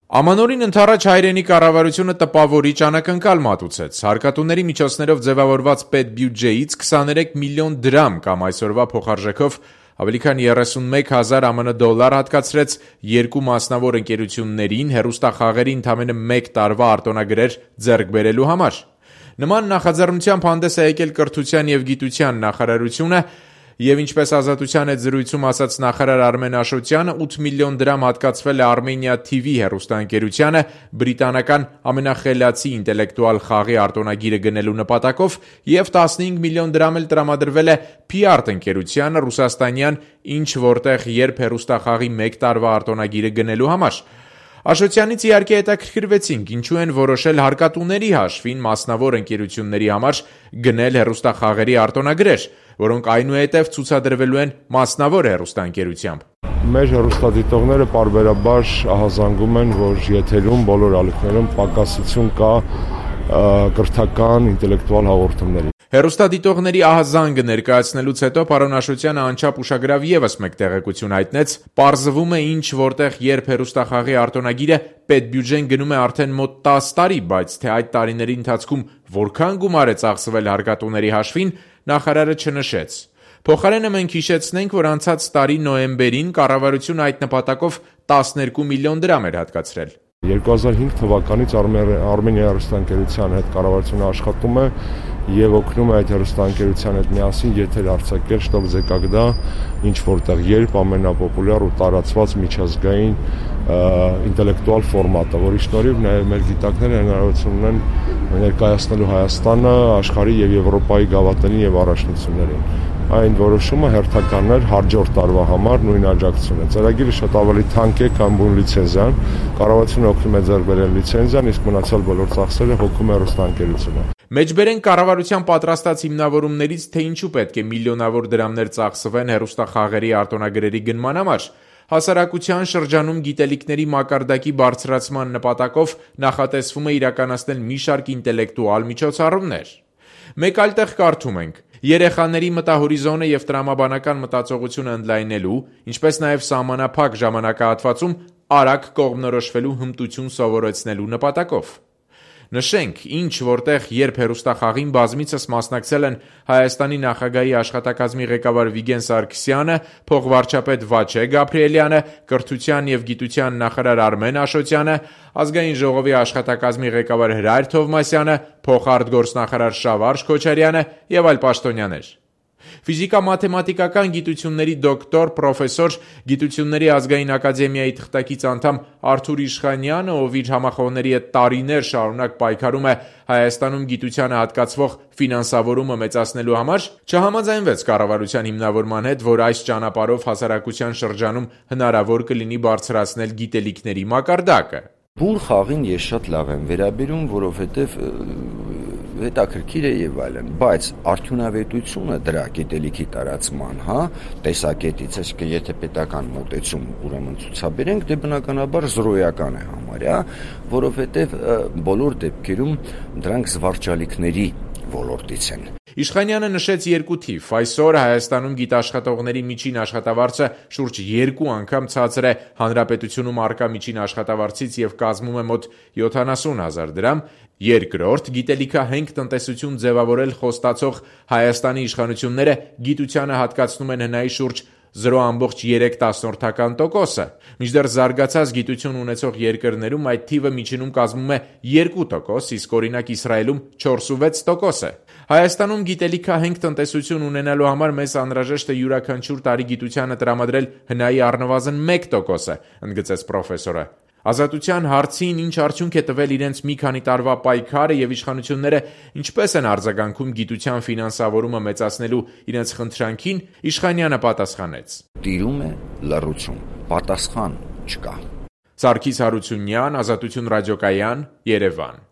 Ամանորին ընդառաջ հայրենի կառավարությունը տպավորիչ անակնկալ մատուցեց. հարկատուների միջոցներով ձևավորված պետբյուջեից 23 միլիոն դրամ կամ այսօրվա փոխարժեքով ավելի քան 31,000 ԱՄՆ դոլար հատկացրեց երկու մասնավոր ընկերություններին հեռուստախաղերի ընդամենը մեկ տարվա արտոնագրեր ձեռք բերելու համար։ Նման նախաձեռնությամբ հանդես է եկել Կրթության և գիտության նախարարությունը և ինչպես Ազատության հետ զրույցում ասաց նախարար Արմեն Աշոտյանը, 8 միլիոն դրամ հատկացվել է Armenia TV հեռուստաընկերությանը բրիտանական ամենախելացի ինտելեկտուալ խաղի արտոնագիրը գնելու նպատակով և 15 միլիոն դրամ էլ տրամադրվել է P-Art ընկերությանը ռուսաստանյան «Ինչ որտեղ երբ» հեռուստախաղի մեկ տարվա արտոնագիրը գնելու համար։ Աշոտյանից իհարկե հետաքրքրվեցինք, ինչու են որոշել հարկատուների հաշվին մասնավոր ընկերությունների համար գնել հեռուստախաղերի արտոնագրեր, որոնք այնուհետև ցուցադրվելու են մասնավոր հեռուստաընկերությամբ։ Մեր հեռուստադիտողները պարբերաբար ահազանգում են, որ եթերում բոլոր ալիքներում պակասություն կա կրթական ինտելեկտուալ հաղորդումների։ Հեռուստադիտողների ահազանգը ներկայացնելուց հետո պարոն Աշոտյանը անչափ ուշագրավ ևս մեկ տեղեկություն հայտնեց. պարզվում է ինչ որտեղ երբ հեռուստախաղի արտոնագիրը պետբյուջեն գնում է արդեն մոտ 10 տարի, բայց թե այդ տարիների ընթացքում որքան գումար է ծախսվել հարկատուների հաշվին, նախարարը չնշեց։ Փոխարենը մենք հիշեցնենք, որ անցած տարի նոյեմբերին կառավարությունը այդ նպատակով 12 միլիոն դրամ էր հատկացրել։ 2005 թվականից Armenia հեռուստաընկերության հետ կառավարությունը աշխատում է եւ օգնում է այդ հեռուստաընկերության հետ միասին եթեր արձակել «Շտոկ Զեկագդա», ինչ որտեղ երբ ամենապոպուլյար ու տարածված միջազգային ինտելեկտուալ ֆորմատը, որի շնորհիվ նաեւ մեր գիտակները հնարավորություն ունեն ներկայացնելու Հայաստանը աշխարհի եւ Եվրոպայի գավաթներին եւ առաջնություններին։ Այն որոշումը հերթական էր հաջորդ տարվա համար նույն աջակցությունը։ Ծրագիրը շատ ավելի թանկ է, քան բուն լիցենզիան։ Կառավարությունը օգնում է ձեռք բերել լիցենզիան, իսկ մնացյալ բոլոր ծախսերը հոգում է հեռուստաընկերությունը։ Մեջբերեն կառավարության պատրաստած հիմնավորումներից, թե ինչու պետք է միլիոնավոր դրամներ ծախսվեն հեռուստախաղերի արտոնագրերի գնման համար։ Հասարակության շրջանում գիտելիքների մակարդակի բարձրացման նպատակով նախատեսվում է իրականացնել մի շարք ինտելեկտուալ միջոցառումներ։ Մեկ այլ տեղ կարդում ենք. երեխաների մտահորիզոնը և տրամաբանական մտածողությունը ընդլայնելու, ինչպես նաև սահմանափակ ժամանակահատվածում արագ կողմնորոշվելու հմտություն սովորեցնելու նպատակով։ Նշենք, ինչ որտեղ երբ հեռուստախաղին բազմիցս մասնակցել են Հայաստանի նախագահի աշխատակազմի ղեկավար Վիգեն Սարգսյանը, փոխվարչապետ Վաչե Գաբրիելյանը, Կրթության և գիտության նախարար Արմեն Աշոտյանը, Ազգային ժողովի աշխատակազմի ղեկավար Հրայր Թովմասյանը, փոխարտգործնախարար Շավարժ Քոչարյանը և այլ պաշտոնյաներ։ Ֆիզիկա-մաթեմատիկական գիտությունների դոկտոր, պրոֆեսոր, Գիտությունների ազգային ակադեմիայի թղթակից անդամ Արթուր Իշխանյանը, ով իր համախոհների հետ տարիներ շարունակ պայքարում է Հայաստանում գիտությանը հատկացվող ֆինանսավորումը մեծացնելու համար, չհամաձայնվեց կառավարության հիմնավորման հետ, որ այս ճանապարհով հասարակության շրջանում հնարավոր կլինի բարձրացնել գիտելիքների մակարդակը։ Բուն խաղին ես շատ լավ եմ վերաբերում, որովհետև հետաքրքիր է եւ այլն, բայց արդյունավետությունը դրա գիտելիքի տարածման, տեսակետից, այսինքն եթե պետական մոտեցում ուրեմն ցուցաբերենք, դե բնականաբար զրոյական է համարյա, որովհետև բոլոր դեպքերում դրանք զվարճալիքների ոլորտից են։ Իշխանյանը նշեց երկու թիվ։ Այսօր Հայաստանում գիտաշխատողների միջին աշխատավարձը շուրջ 2 անգամ ցածր է հանրապետությունում առկա միջին աշխատավարձից եւ կազմում է մոտ 70,000 դրամ։ Երկրորդ, գիտելիքահենք տնտեսություն ձևավորել խոստացող Հայաստանի իշխանությունները գիտությանը հատկացնում են հնայի շուրջ 0,3%, մինչդեռ զարգացած գիտություն ունեցող երկրներում այդ թիվը միջինում կազմում է 2%, իսկ օրինակ Իսրայելում 4,6% է։ Հայաստանում գիտելիքահենք տնտեսություն ունենալու համար մեզ անհրաժեշտ է յուրաքանչյուր տարի գիտությանը տրամադրել հնայի առնվազն 1%, ընդգծեց պրոֆեսորը։ Ազատության հարցին ինչ արդյունք է տվել իրենց մի քանի տարվա պայքարը եւ իշխանությունները ինչպես են արձագանքում գիտության ֆինանսավորումը մեծացնելու իրենց խնդրանքին, Իշխանյանը պատասխանեց. Տիրում է լռություն, պատասխան չկա։ Սարգիս Հարությունյան, Ազատություն ռադիոկայան, Երևան։